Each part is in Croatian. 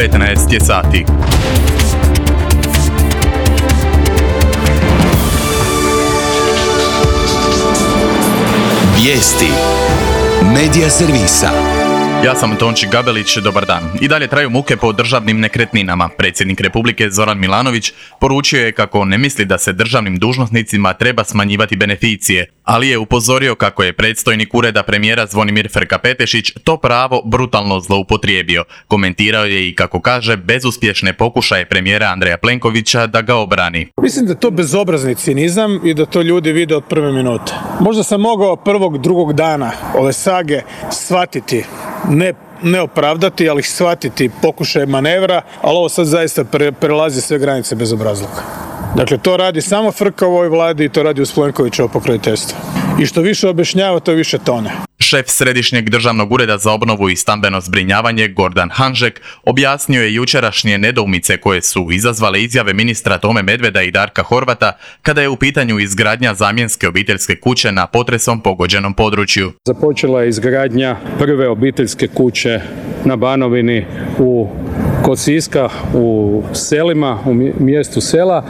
15 je sati. Vijesti Medija servisa. Ja sam Tonči Gabelić, dobar dan. I dalje traju muke po državnim nekretninama. Predsjednik Republike Zoran Milanović poručio je kako ne misli da se državnim dužnosnicima treba smanjivati beneficije, ali je upozorio kako je predstojnik ureda premijera Zvonimir Frka-Petešić to pravo brutalno zloupotrijebio. Komentirao je i, kako kaže, bezuspješne pokušaje premijera Andreja Plenkovića da ga obrani. Mislim da je to bezobrazni cinizam i da to ljudi vide od prve minute. Možda sam mogao drugog dana ove sage shvatiti, ne opravdati, ali shvatiti pokušaj manevra, ali ovo sad zaista prelazi sve granice bezobrazluka. Dakle, to radi samo Frka u ovoj vladi i to radi uz Plenkovićevo pokroviteljstvo. I što više objašnjava, to više tone. Šef Središnjeg državnog ureda za obnovu i stambeno zbrinjavanje Gordan Hanžek objasnio je jučerašnje nedoumice koje su izazvale izjave ministra Tome Medveda i Darka Horvata kada je u pitanju izgradnja zamjenske obiteljske kuće na potresom pogođenom području. Započela je izgradnja prve obiteljske kuće na Banovini kod Siska u selima, u mjestu sela,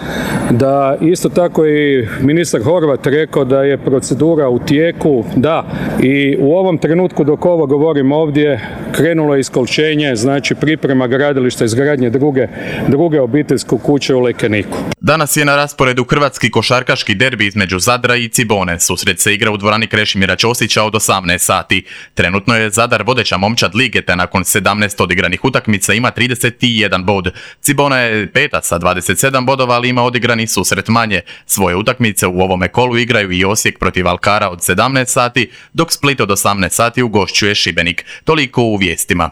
da isto tako i ministar Horvat rekao da je procedura u tijeku, da, i u ovom trenutku dok ovo govorim ovdje krenulo je iskolčenje, znači priprema gradilišta izgradnje druge obiteljske kuće u Lekeniku. Danas je na rasporedu hrvatski košarkaški derbi između Zadra i Cibone. Susret se igra u dvorani Krešimira Ćosića od 18 sati. Trenutno je Zadar vodeća momčad lige, te nakon 17 odigranih utakmica ima 31 bod. Cibona je peta sa 27 bodova, ali ima odigrani susret manje. Svoje utakmice u ovome kolu igraju i Osijek protiv Alkara od 17 sati, dok Split od 18 sati ugošćuje Šibenik. Toliko u vijestima.